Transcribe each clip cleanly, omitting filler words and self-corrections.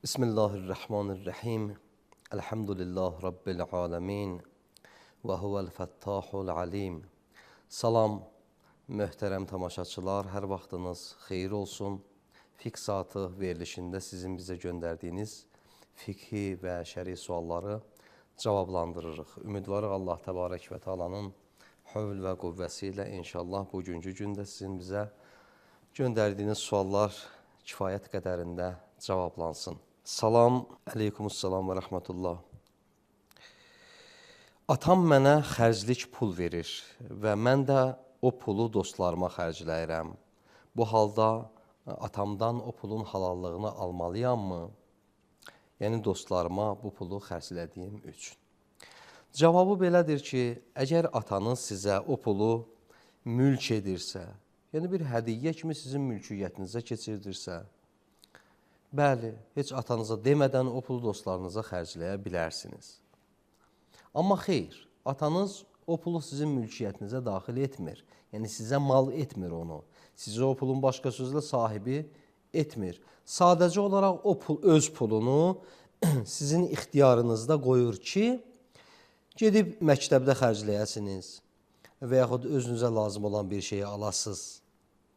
Bismillahirrahmanirrahim. Elhamdülillah Rabbil alemin. Və huvəl fəttahul alim. Salam, möhtərəm tamaşaçılar, hər vaxtınız xeyir olsun. Fiqh saatı verilişində sizin bizə göndərdiyiniz fiqhi və şəri sualları cavablandırırıq. Ümidvarıq Allah təbarək və teala'nın hövl və qüvvəsi ilə inşallah bugünkü gündə sizin bizə göndərdiyiniz suallar kifayət qədərində cavablansın. Salam, əleykumussalam və rəhmətullah. Atam mənə xərclik pul verir və mən də o pulu dostlarıma xərcləyirəm. Bu halda atamdan o pulun halallığını almalıyammı? Yəni dostlarıma bu pulu xərclədiyim üçün. Cavabı belədir ki, əgər atanız sizə o pulu mülk edirsə, yəni bir hədiyyə kimi sizin mülkiyyətinizə keçirdirsə, bəli, heç atanıza demədən o pulu dostlarınıza xərcləyə bilərsiniz. Amma xeyr, atanız o pulu sizin mülkiyyətinizə daxil etmir. Yəni sizə mal etmir onu. Sizə o pulun başqa sözlə sahibi etmir. Sadəcə olaraq o pul, öz pulunu sizin ixtiyarınızda qoyur ki, gedib məktəbdə xərcləyəsiniz və yaxud özünüzə lazım olan bir şeyi alasınız.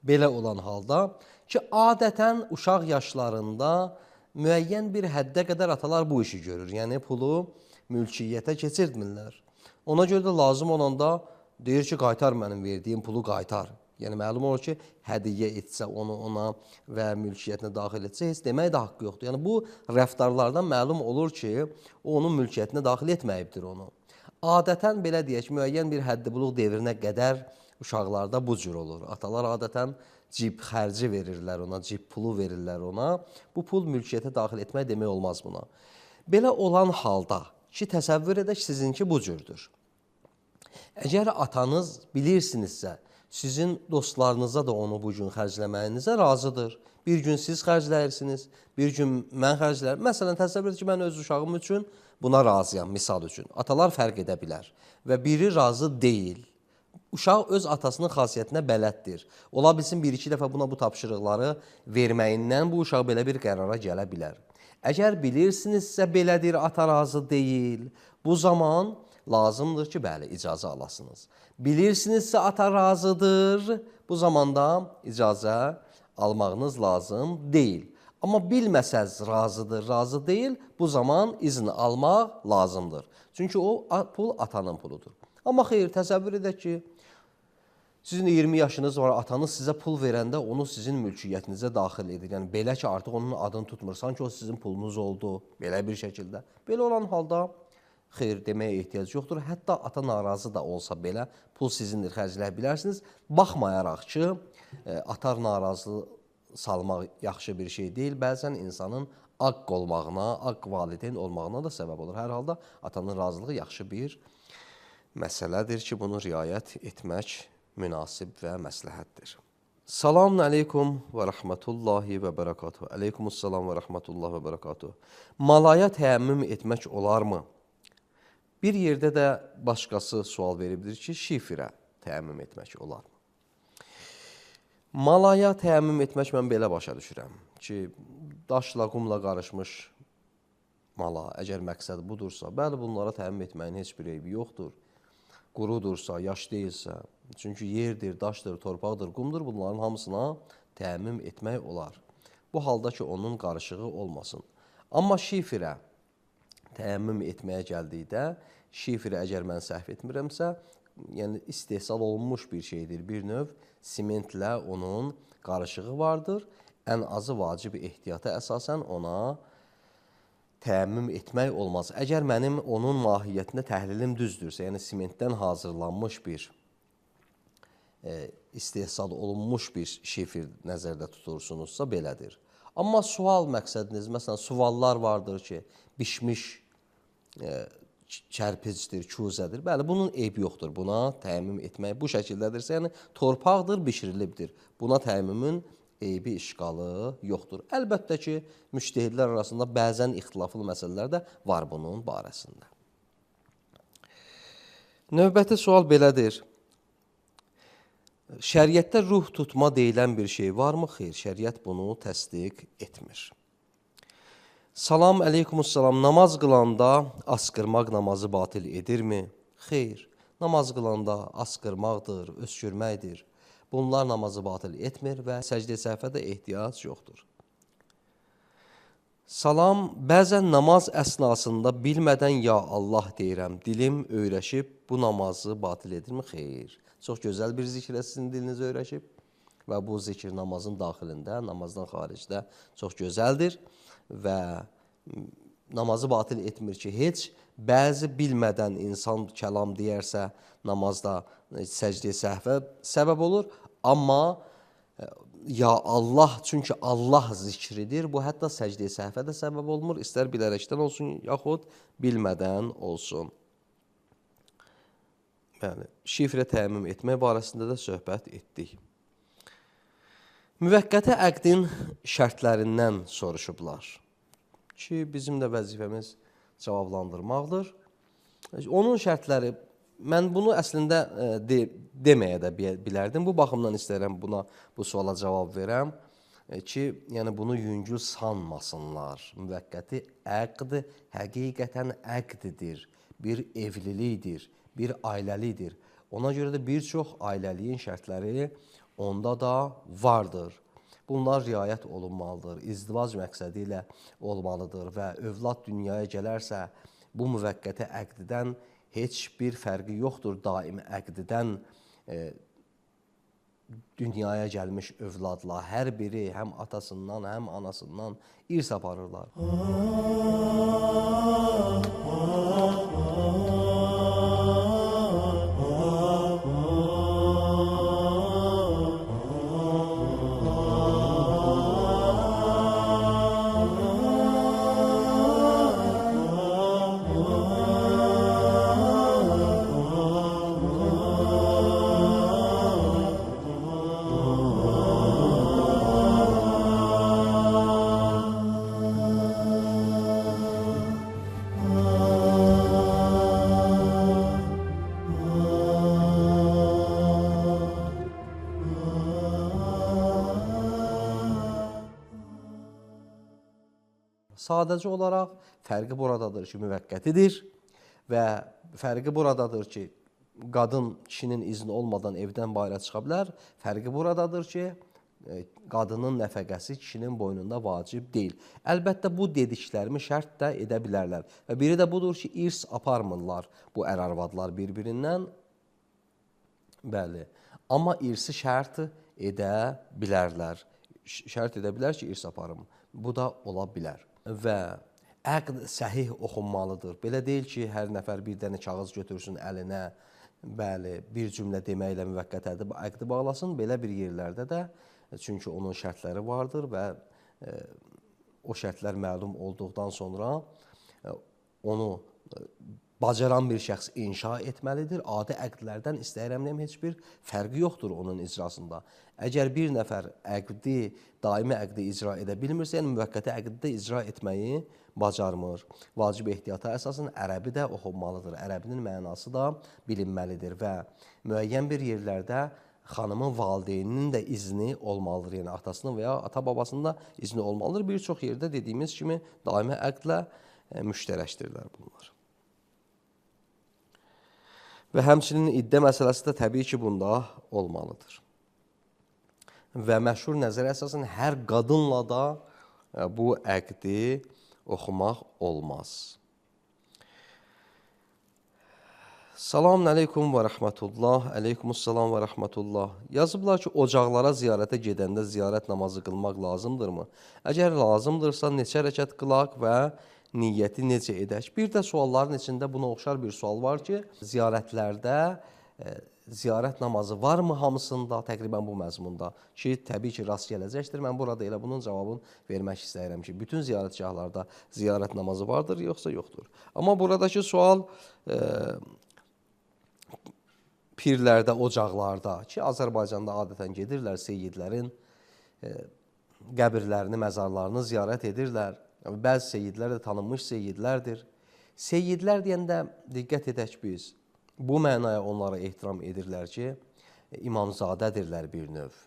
Belə olan halda ki, adətən uşaq yaşlarında müəyyən bir həddə qədər atalar bu işi görür. Yəni pulu mülkiyyətə keçirtmirlər. Ona görə də lazım olanda deyir ki, qaytar mənim verdiyim pulu qaytar. Yəni məlum olur ki, hədiyyə etsə onu ona və mülkiyyətinə daxil etsə heç demək də haqqı yoxdur. Yəni bu rəftarlardan məlum olur ki, o onun mülkiyyətinə daxil etməyibdir onu. Adətən belə deyək, müəyyən bir həddi buluq devrinə qədər uşaqlarda bu cür olur. Atalar adətən cib xərci verirlər ona, cib pulu verirlər ona. Bu pul mülkiyyətə daxil etmək demək olmaz buna. Belə olan halda ki, təsəvvür edək sizinki bu cürdür. Əgər atanız bilirsinizsə, sizin dostlarınıza da onu bu gün xərcləməyinizə razıdır. Bir gün siz xərcləyirsiniz, bir gün mən xərcləyirəm. Məsələn, təsəvvür edək ki, mən öz uşağım üçün buna razıyam, misal üçün. Atalar fərq edə bilər və biri razı deyil. Uşaq öz atasının xasiyyətinə bələddir. Ola bilsin, bir-iki dəfə buna bu tapşırıqları verməyindən bu uşaq belə bir qərara gələ bilər. Əgər bilirsinizsə belədir, ata razı deyil, bu zaman lazımdır ki, bəli, icazə alasınız. Bilirsinizsə ata razıdır, bu zamanda icazə almağınız lazım deyil. Amma bilməsəz razıdır, razı deyil, bu zaman izin almaq lazımdır. Çünki o pul atanın puludur. Amma xeyr, təsəvvür edək ki, sizin 20 yaşınız var, atanız sizə pul verəndə onu sizin mülkiyyətinizə daxil edir. Yəni belə ki, artıq onun adını tutmur, sanki o sizin pulunuz oldu, belə bir şəkildə. Belə olan halda xeyr deməyə ehtiyac yoxdur. Hətta ata narazı da olsa belə pul sizindir, xərcləyə bilərsiniz. Baxmayaraq ki, ata narazı salmaq yaxşı bir şey deyil. Bəzən insanın aqq olmağına, aqq valideyn olmağına da səbəb olur. Hər halda atanın razılığı yaxşı bir məsələdir ki, bunu riayət etmək münasib və məsləhətdir. Salamun aleykum və rəhmətullahi və bərəkatuhu. Aleykumussalam və rəhmətullahi və bərəkatuhu. Malaya təyəmmüm etmək olarmı? Bir yerdə də başqası sual veribdir ki, şifrə təyəmmüm etmək olarmı? Malaya təyəmmüm etmək mən belə başa düşürəm ki, daşla, qumla qarışmış mala, əgər məqsəd budursa, bəli, bunlara təyəmmüm etməyin heç bir eybi yoxdur. Qurudursa, yaş deyilsə, çünki yerdir, daşdır, torpaqdır, qumdur, bunların hamısına təyəmmüm etmək olar. Bu halda ki, onun qarışığı olmasın. Amma şifrə təyəmmüm etməyə gəldikdə, şifrə əgər mən səhv etmirəmsə, yəni istehsal olunmuş bir şeydir, bir növ simentlə onun qarışığı vardır. Ən azı vacib ehtiyata əsasən ona təyəmmüm etmək olmaz. Əgər mənim onun mahiyyətində təhlilim düzdürsə, yəni simentdən hazırlanmış bir, istehsal olunmuş bir şifr nəzərdə tutursunuzsa belədir. Amma sual məqsədiniz, məsələn, suallar vardır ki, bişmiş kərpicdir, kuzədir. Bəli, bunun eybi yoxdur. Buna təyəmmüm etmək bu şəkildədirsə, yəni torpaqdır, bişirilibdir. Buna təyəmmümün eybi, işqalı yoxdur. Əlbəttə ki, müctəhidlər arasında bəzən ixtilaflı məsələlər də var bunun barəsində. Növbəti sual belədir. Şəriətdə ruh tutma deyilən bir şey varmı? Xeyr, şəriət bunu təsdiq etmir. Salam əleykumussalam. Namaz qılanda asqırmaq namazı batil edirmi? Xeyr. Namaz qılanda asqırmaqdır, öskürməkdir. Bunlar namazı batil etmir və səcdə səhvə də ehtiyac yoxdur. Salam, bəzən namaz əsnasında bilmədən ya Allah deyirəm. Dilim öyrəşib bu namazı batil edirmi? Xeyr. Çox gözəl bir zikrə sizin diliniz öyrəşib və bu zikir namazın daxilində, namazdan xaricdə çox gözəldir və namazı batil etmir ki, heç bəzi bilmədən insan kəlam deyərsə namazda səcdə səhvə səbəb olur, amma ya Allah, çünki Allah zikridir, bu hətta səcdə səhvə də səbəb olmur, istər bilərəkdən olsun, yaxud bilmədən olsun. Yəni, şifrə təmin etmək barəsində də söhbət etdik. Müvəqqəti əqdin şərtlərindən soruşublar ki, bizim də vəzifəmiz cavablandırmaqdır. Onun şərtləri, mən bunu əslində deməyə də bilərdim. Bu baxımdan istəyirəm bu suala cavab verəm ki, yəni bunu yüngül sanmasınlar. Müvəqqəti əqd həqiqətən əqdidir, bir evlilikdir, bir ailəlikdir. Ona görə də bir çox ailəliyin şərtləri onda da vardır. Bunlar riayət olunmalıdır, izdivac məqsədi ilə olmalıdır və övlad dünyaya gələrsə, bu müvəqqəti əqdidən heç bir fərqi yoxdur. Daimi əqdidən dünyaya gəlmiş övladla hər biri həm atasından, həm anasından irs aparırlar. Sadəcə olaraq fərqi buradadır ki, müvəqqətidir və fərqi buradadır ki, qadın kişinin izni olmadan evdən bayıra çıxa bilər. Fərqi buradadır ki, qadının nəfəqəsi kişinin boynunda vacib deyil. Əlbəttə, bu dediklərimi şərt də edə bilərlər. Və biri də budur ki, irs aparmırlar bu ər-arvadlar bir-birindən. Bəli, amma irsi şərt edə bilərlər. Şərt edə bilər ki, irs aparım. Bu da ola bilər. Və əqd səhih oxunmalıdır. Belə deyil ki, hər nəfər bir dənə kağız götürsün əlinə, bəli, bir cümlə deməklə müvəqqət əqdi bağlasın. Belə bir yerlərdə də, çünki onun şərtləri vardır və o şərtlər məlum olduqdan sonra onu bacaran bir şəxs inşa etməlidir. Adi əqdlərdən istəyirəm deyəm, heç bir fərqi yoxdur onun icrasında. Əgər bir nəfər daimi əqdi icra edə bilmirsə, yəni müvəqqəti əqdi də icra etməyi bacarmır. Vacib ehtiyata əsasən ərəbi də oxunmalıdır. Ərəbinin mənası da bilinməlidir və müəyyən bir yerlərdə xanımın valideyninin də izni olmalıdır. Yəni atasının və ya ata-babasının da izni olmalıdır. Bir çox yerdə dediyimiz kimi daimi əqdlə müştərəkdirlər bunlar. Və həmçinin iddə məsələsi də təbii ki, bunda olmalıdır. Və məşhur nəzərə əsasən hər qadınla da bu əqdi oxumaq olmaz. Salamun əleykum və rəhmətullah, əleykumussalam və rəhmətullah. Yazıblar ki, ocaqlara ziyarətə gedəndə ziyarət namazı qılmaq lazımdırmı? Əgər lazımdırsa, neçə rəkət qılaq və niyyəti necə edək? Bir də sualların içində buna oxşar bir sual var ki, ziyarətlərdə ziyarət namazı varmı hamısında, təqribən bu məzmunda ki, təbii ki, rast gələcəkdir. Mən burada elə bunun cavabını vermək istəyirəm ki, bütün ziyarətgahlarda ziyarət namazı vardır, yoxsa yoxdur. Amma buradakı sual pirlərdə, ocaqlarda ki, Azərbaycanda adətən gedirlər, seyyidlərin qəbirlərini, məzarlarını ziyarət edirlər. Bəzi seyyidlər də tanınmış seyyidlərdir. Seyyidlər deyəndə diqqət edək biz. Bu mənaya onlara ehtiram edirlər ki, imamzadədirlər bir növ,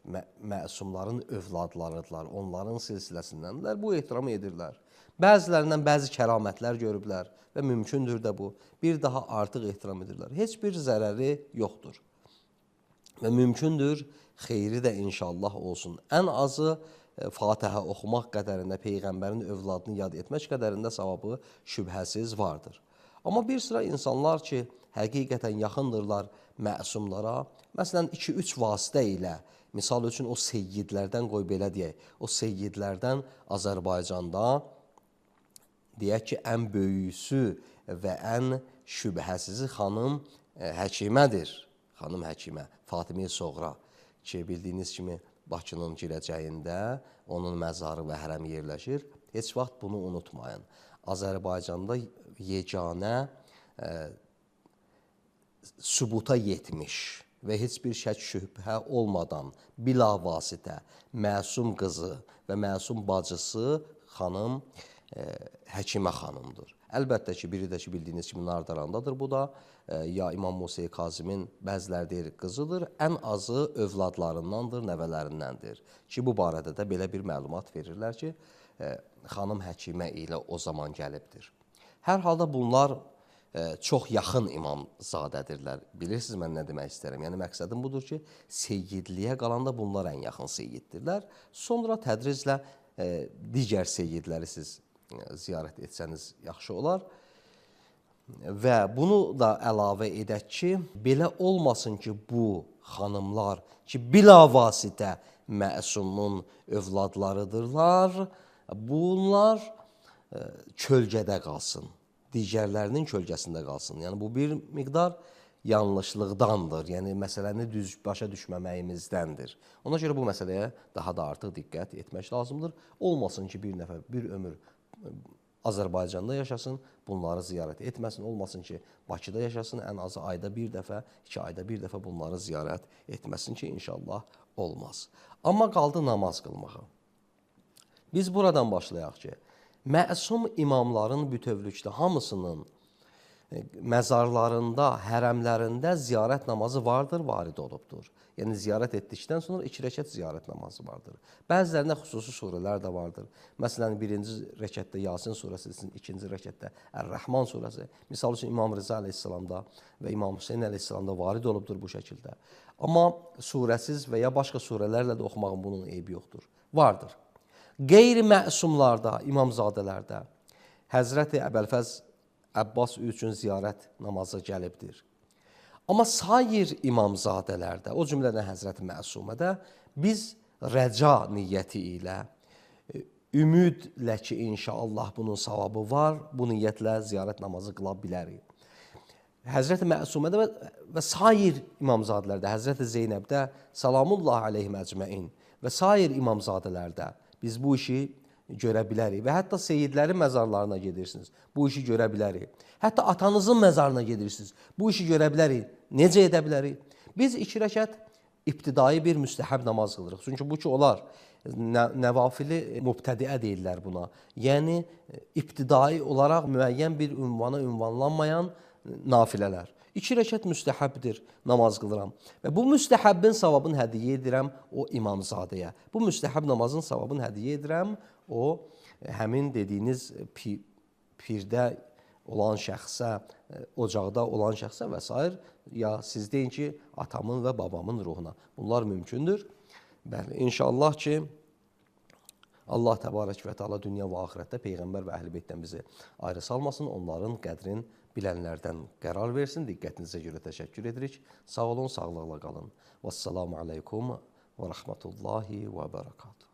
məsumların övladlarıdırlar, onların silsiləsindəndirlər, bu ehtiramı edirlər. Bəzilərindən bəzi kəramətlər görüblər və mümkündür də bu, bir daha artıq ehtiram edirlər. Heç bir zərəri yoxdur və mümkündür, xeyri də inşallah olsun. Ən azı Fatihə oxumaq qədərində, Peyğəmbərin övladını yad etmək qədərində savabı şübhəsiz vardır. Amma bir sıra insanlar ki, həqiqətən yaxındırlar məsumlara, məsələn, 2-3 vasitə ilə, misal üçün o seyyidlərdən, qoy belə deyək, o seyyidlərdən Azərbaycanda, deyək ki, ən böyüsü və ən şübhəsizi xanım Həkimədir. Xanım Həkimə, Fatimi Soğra ki, bildiyiniz kimi Bakının girəcəyində onun məzarı və hərəmi yerləşir. Heç vaxt bunu unutmayın. Azərbaycanda yeganə sübuta yetmiş və heç bir şək şübhə olmadan bilavasitə məsum qızı və məsum bacısı xanım Həkimə xanımdır. Əlbəttə ki, biri də ki, bildiyiniz kimi Nardarandadır bu da. Ya İmam Musa Kazımın bəziləri deyir qızıdır, ən azı övladlarındandır, nəvələrindəndir. Ki, bu barədə də belə bir məlumat verirlər ki, xanım Həkimə ilə o zaman gəlibdir. Hər halda bunlar çox yaxın imamzadədirlər. Bilirsiniz mən nə demək istərəm? Yəni, məqsədim budur ki, seyyidliyə qalanda bunlar ən yaxın seyyiddirlər. Sonra tədriclə digər seyyidləri siz ziyarət etsəniz yaxşı olar. Və bunu da əlavə edək ki, belə olmasın ki, bu xanımlar ki, bilavasitə məsumun övladlarıdırlar, bunlar kölgədə qalsın, digərlərinin kölgəsində qalsın. Yəni, bu bir miqdar yanlışlıqdandır, yəni məsələni düz başa düşməməyimizdəndir. Ona görə bu məsələyə daha da artıq diqqət etmək lazımdır. Olmasın ki, bir nəfər, bir ömür Azərbaycanda yaşasın, bunları ziyarət etməsin, olmasın ki, Bakıda yaşasın, ən azı ayda bir dəfə, 2 ayda bir dəfə bunları ziyarət etməsin ki, inşallah olmaz. Amma qaldı namaz qılmağa. Biz buradan başlayaq ki, məsum imamların bütövlükdə hamısının məzarlarında, hərəmlərində ziyarət namazı vardır, varid olubdur. Yəni, ziyarət etdikdən sonra 2 rəkət ziyarət namazı vardır. Bəzilərində xüsusi surələr də vardır. Məsələn, 1-ci rəkətdə Yasin surəsi, 2-ci rəkətdə Ər-Rəhman surəsi. Misal üçün, İmam Rıza əleyhissalamda və İmam Hüseyin əleyhissalamda varid olubdur bu şəkildə. Amma surəsiz və ya başqa surələrlə də oxumağın bunun eybi yoxdur. Vardır. Qeyri-məsumlarda, imamzadələrdə Həzrəti Əbəlfəz Əbbas üçün ziyarət namazı gəlibdir. Amma sair imamzadələrdə, o cümlədən Həzrəti Məsumədə biz rəca niyyəti ilə, ümidlə ki, inşallah bunun savabı var, bu niyyətlə ziyarət namazı qıla bilərik. Həzrəti Məsumədə və sair imamzadələrdə, Həzrəti Zeynəbdə, salamullah aleyhim əcməin və sair imamzadələrdə biz bu işi görə bilərik və hətta seyyidlərin məzarlarına gedirsiniz, bu işi görə bilərik. Hətta atanızın məzarına gedirsiniz, bu işi görə bilərik. Necə edə bilərik? Biz 2 rəkət ibtidai bir müstəhəb namaz qılırıq. Çünki bu ki, olar, nəvafili mübtədiə deyirlər buna. Yəni, ibtidai olaraq müəyyən bir ünvana ünvanlanmayan nafilələr. 2 rəkət müstəhəbdir, namaz qılıram. Və bu müstəhəbbin savabını hədiyyə edirəm o imamzadəyə. Bu müstəhəb namazın savabını hədiyyə edirəm o həmin dediyiniz pirdə olan şəxsə, ocaqda olan şəxsə və s. Ya siz deyin ki, atamın və babamın ruhuna. Bunlar mümkündür. Bəli, inşallah ki, Allah təbarək və təala dünya və axirətdə Peyğəmbər və Əhl-i Beytdən bizi ayrı salmasın, onların qədrin bilənlərdən qərar versin. Diqqətinizə görə təşəkkür edirik. Sağ olun, sağlıqla qalın. Vəssalamu aleykum və rəhmətullahi və bərəkatuhu.